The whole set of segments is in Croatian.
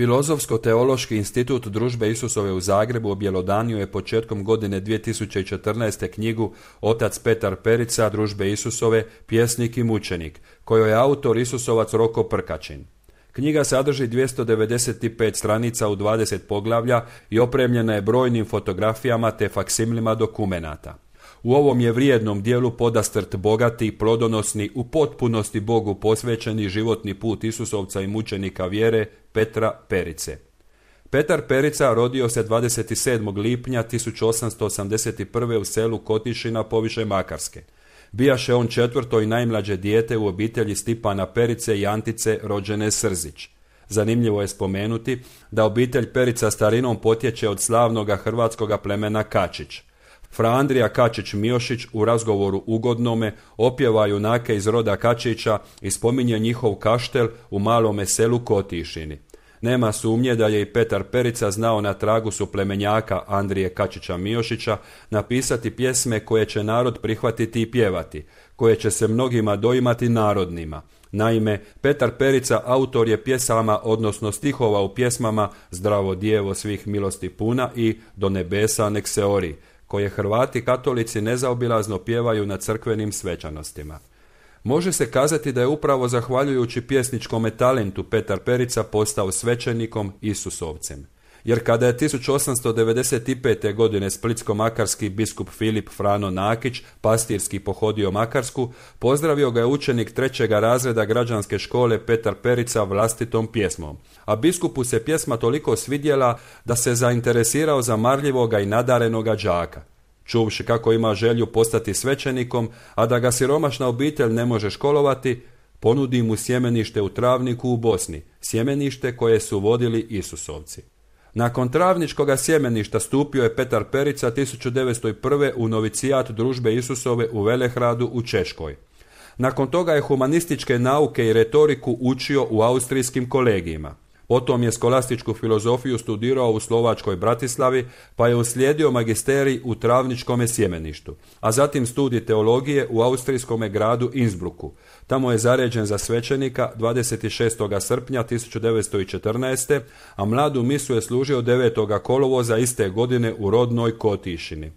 Filozofsko-teološki institut Družbe Isusove u Zagrebu objelodanio je početkom godine 2014. knjigu Otac Petar Perica Družbe Isusove, pjesnik i mučenik, kojoj je autor Isusovac Roko Prkačin. Knjiga sadrži 295 stranica u 20 poglavlja i opremljena je brojnim fotografijama te faksimilima dokumenata. U ovom je vrijednom dijelu podastrt bogati, plodonosni, u potpunosti Bogu posvećeni životni put Isusovca i mučenika vjere Petra Perice. Petar Perica rodio se 27. lipnja 1881. u selu Kotišina poviše Makarske. Bijaše on četvrto i najmlađe dijete u obitelji Stipana Perice i Antice rođene Srzić. Zanimljivo je spomenuti da obitelj Perica starinom potječe od slavnoga hrvatskoga plemena Kačić. Fra Andrija Kačić-Miošić u razgovoru ugodnome opjeva junake iz roda Kačića i spominje njihov kaštel u malome selu Kotišini. Nema sumnje da je i Petar Perica znao na tragu suplemenjaka Andrije Kačića-Miošića napisati pjesme koje će narod prihvatiti i pjevati, koje će se mnogima doimati narodnima. Naime, Petar Perica autor je pjesama, odnosno stihova u pjesmama Zdravo djevo svih milosti puna i Do nebesa nek se ori, koje Hrvati katolici nezaobilazno pjevaju na crkvenim svečanostima. Može se kazati da je upravo zahvaljujući pjesničkome talentu Petar Perica postao svećenikom Isusovcem. Jer kada je 1895. godine splitsko-makarski biskup Filip Frano Nakić pastirski pohodio Makarsku, pozdravio ga je učenik 3. razreda građanske škole Petar Perica vlastitom pjesmom. A biskupu se pjesma toliko svidjela da se zainteresirao za marljivoga i nadarenoga đaka. Čuvši kako ima želju postati svećenikom, a da ga siromašna obitelj ne može školovati, ponudi mu sjemenište u Travniku u Bosni, sjemenište koje su vodili Isusovci. Nakon travničkoga sjemeništa stupio je Petar Perica 1901. u novicijat Družbe Isusove u Velehradu u Češkoj. Nakon toga je humanističke nauke i retoriku učio u austrijskim kolegijima. Potom je skolastičku filozofiju studirao u slovačkoj Bratislavi, pa je uslijedio magisterij u Travničkome sjemeništu, a zatim studij teologije u austrijskome gradu Innsbrucku. Tamo je zaređen za svećenika 26. srpnja 1914. a mladu misu je služio 9. kolovoza iste godine u rodnoj Kotišini.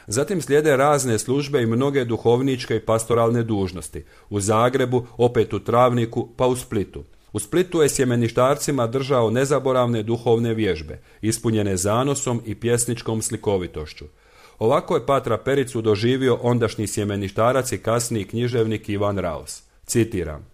Zatim slijede razne službe i mnoge duhovničke i pastoralne dužnosti. U Zagrebu, opet u Travniku, pa u Splitu. U Splitu je sjemeništarcima držao nezaboravne duhovne vježbe, ispunjene zanosom i pjesničkom slikovitošću. Ovako je Patra Pericu doživio ondašnji sjemeništarac i kasniji književnik Ivan Raos. Citiram: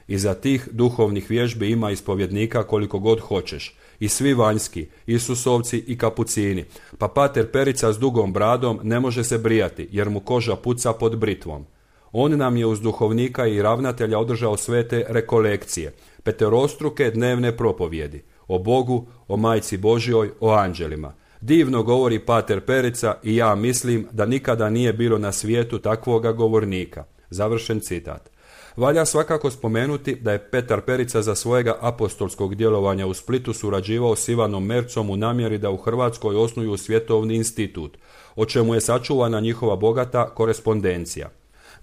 Iza tih duhovnih vježbi ima ispovjednika koliko god hoćeš, i svi vanjski, Isusovci i kapucini, pa Pater Perica s dugom bradom ne može se brijati, jer mu koža puca pod britvom. On nam je uz duhovnika i ravnatelja održao svete rekolekcije, peterostruke dnevne propovjedi, o Bogu, o Majci Božjoj, o anđelima. Divno govori Pater Perica i ja mislim da nikada nije bilo na svijetu takvoga govornika. Završen citat. Valja svakako spomenuti da je Petar Perica za svojega apostolskog djelovanja u Splitu surađivao s Ivanom Mercom u namjeri da u Hrvatskoj osnuju svjetovni institut, o čemu je sačuvana njihova bogata korespondencija.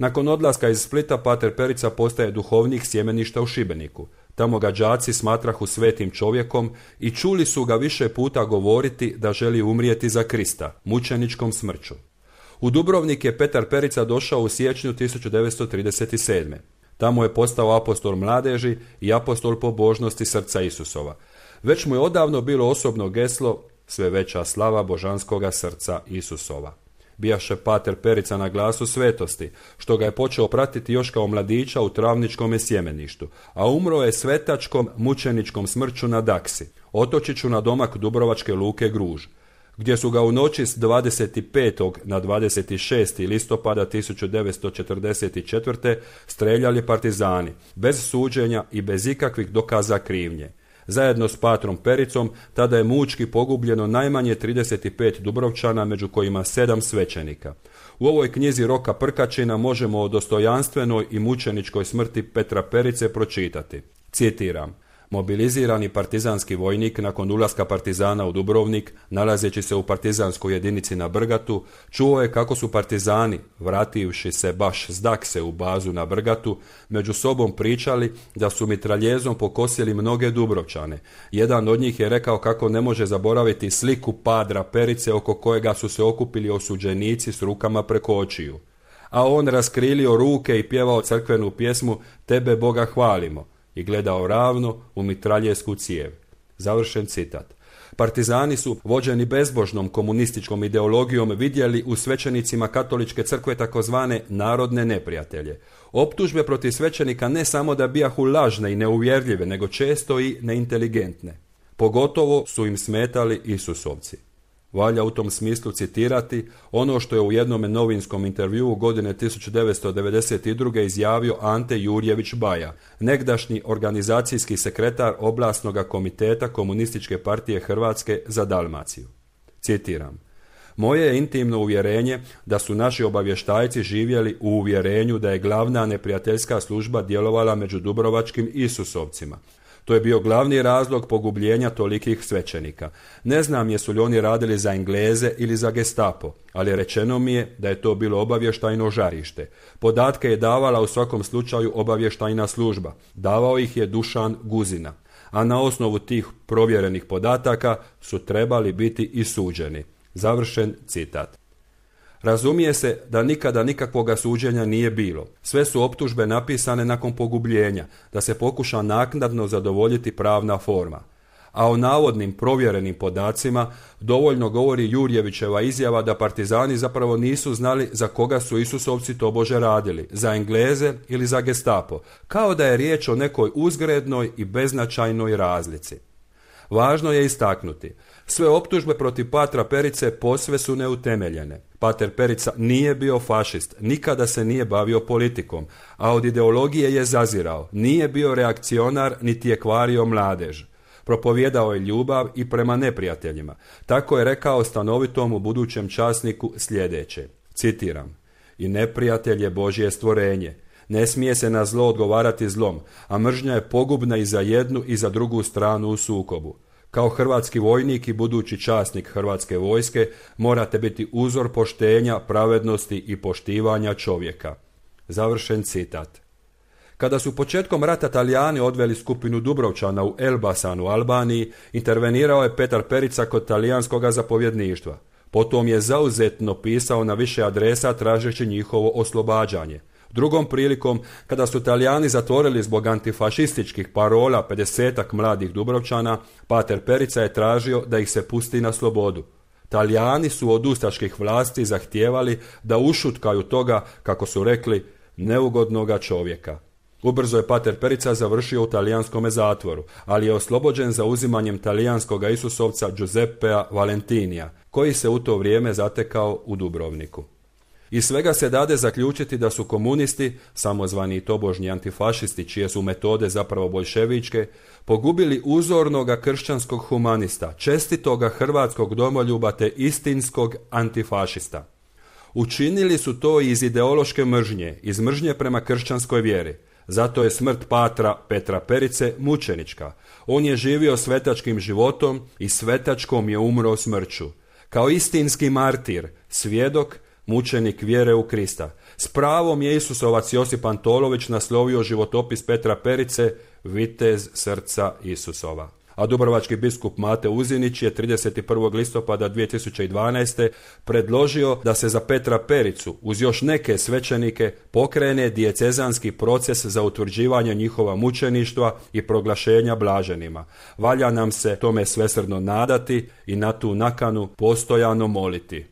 Nakon odlaska iz Splita Pater Perica postaje duhovnik sjemeništa u Šibeniku. Tamo ga đaci smatrahu svetim čovjekom i čuli su ga više puta govoriti da želi umrijeti za Krista, mučeničkom smrću. U Dubrovnik je Petar Perica došao u siječnju 1937. Tamo je postao apostol mladeži i apostol pobožnosti srca Isusova. Već mu je odavno bilo osobno geslo sve veća slava božanskoga srca Isusova. Bijaše Pater Perica na glasu svetosti, što ga je počeo pratiti još kao mladića u Travničkome sjemeništu, a umro je svetačkom mučeničkom smrću na Daksi, otočiću na domak Dubrovačke luke Gruž, gdje su ga u noći s 25. na 26. listopada 1944. streljali partizani, bez suđenja i bez ikakvih dokaza krivnje. Zajedno s Patrom Pericom tada je mučki pogubljeno najmanje 35 Dubrovčana, među kojima 7 svećenika. U ovoj knjizi Roka Prkačina možemo o dostojanstvenoj i mučeničkoj smrti Petra Perice pročitati. Citiram: Mobilizirani partizanski vojnik nakon ulaska partizana u Dubrovnik, nalazeći se u partizanskoj jedinici na Brgatu, čuo je kako su partizani, vrativši se baš s Dakse u bazu na Brgatu, među sobom pričali da su mitraljezom pokosili mnoge Dubrovčane. Jedan od njih je rekao kako ne može zaboraviti sliku Padra Perice oko kojega su se okupili osuđenici s rukama preko očiju. A on raskrilio ruke i pjevao crkvenu pjesmu Tebe Boga hvalimo i gledao ravno u mitraljesku cijev. Završen citat. Partizani su, vođeni bezbožnom komunističkom ideologijom, vidjeli u svećenicima katoličke crkve takozvane narodne neprijatelje. Optužbe protiv svećenika ne samo da bijahu lažne i neuvjerljive, nego često i neinteligentne. Pogotovo su im smetali Isusovci. Valja u tom smislu citirati ono što je u jednom novinskom intervjuu godine 1992. izjavio Ante Jurjević Baja, negdašnji organizacijski sekretar Oblasnog komiteta Komunističke partije Hrvatske za Dalmaciju. Citiram: Moje je intimno uvjerenje da su naši obavještajci živjeli u uvjerenju da je glavna neprijateljska služba djelovala među dubrovačkim Isusovcima. To je bio glavni razlog pogubljenja tolikih svećenika. Ne znam jesu li oni radili za Engleze ili za Gestapo, ali rečeno mi je da je to bilo obavještajno žarište. Podatke je davala u svakom slučaju obavještajna služba. Davao ih je Dušan Guzina, a na osnovu tih provjerenih podataka su trebali biti i suđeni. Završen citat. Razumije se da nikada nikakvoga suđenja nije bilo. Sve su optužbe napisane nakon pogubljenja, da se pokuša naknadno zadovoljiti pravna forma. A o navodnim provjerenim podacima dovoljno govori Jurjevićeva izjava da partizani zapravo nisu znali za koga su Isusovci tobože radili, za Engleze ili za Gestapo, kao da je riječ o nekoj uzgrednoj i beznačajnoj razlici. Važno je istaknuti, sve optužbe protiv Patra Perice posve su neutemeljene. Pater Perica nije bio fašist, nikada se nije bavio politikom, a od ideologije je zazirao, nije bio reakcionar niti je kvario mladež. Propovjedao je ljubav i prema neprijateljima. Tako je rekao stanovitom u budućem časniku sljedeće, citiram: I neprijatelj je Božje stvorenje. Ne smije se na zlo odgovarati zlom, a mržnja je pogubna i za jednu i za drugu stranu u sukobu. Kao hrvatski vojnik i budući časnik Hrvatske vojske morate biti uzor poštenja, pravednosti i poštivanja čovjeka. Završen citat. Kada su početkom rata Talijani odveli skupinu Dubrovčana u Elbasan u Albaniji, intervenirao je Petar Perica kod talijanskog zapovjedništva. Potom je zauzetno pisao na više adresa tražeći njihovo oslobađanje. Drugom prilikom, kada su Talijani zatvorili zbog antifašističkih parola 50-ak mladih Dubrovčana, Pater Perica je tražio da ih se pusti na slobodu. Talijani su od ustaških vlasti zahtijevali da ušutkaju toga, kako su rekli, neugodnoga čovjeka. Ubrzo je Pater Perica završio u talijanskome zatvoru, ali je oslobođen za uzimanjem talijanskog Isusovca Giuseppea Valentinija, koji se u to vrijeme zatekao u Dubrovniku. Iz svega se dade zaključiti da su komunisti, samozvani tobožnji antifašisti, čije su metode zapravo boljševičke, pogubili uzornoga kršćanskog humanista, čestitoga hrvatskog domoljuba te istinskog antifašista. Učinili su to iz ideološke mržnje, iz mržnje prema kršćanskoj vjeri. Zato je smrt Patra Petra Perice mučenička. On je živio svetačkim životom i svetačkom je umro smrću. Kao istinski martir, svjedok, mučenik vjere u Krista. S pravom je Isusovac Josip Antolović naslovio životopis Petra Perice Vitez srca Isusova. A dubrovački biskup Mate Uzinić je 31. listopada 2012. predložio da se za Petra Pericu uz još neke svećenike pokrene dijecezanski proces za utvrđivanje njihova mučeništva i proglašenja blaženima. Valja nam se tome svesrdno nadati i na tu nakanu postojano moliti.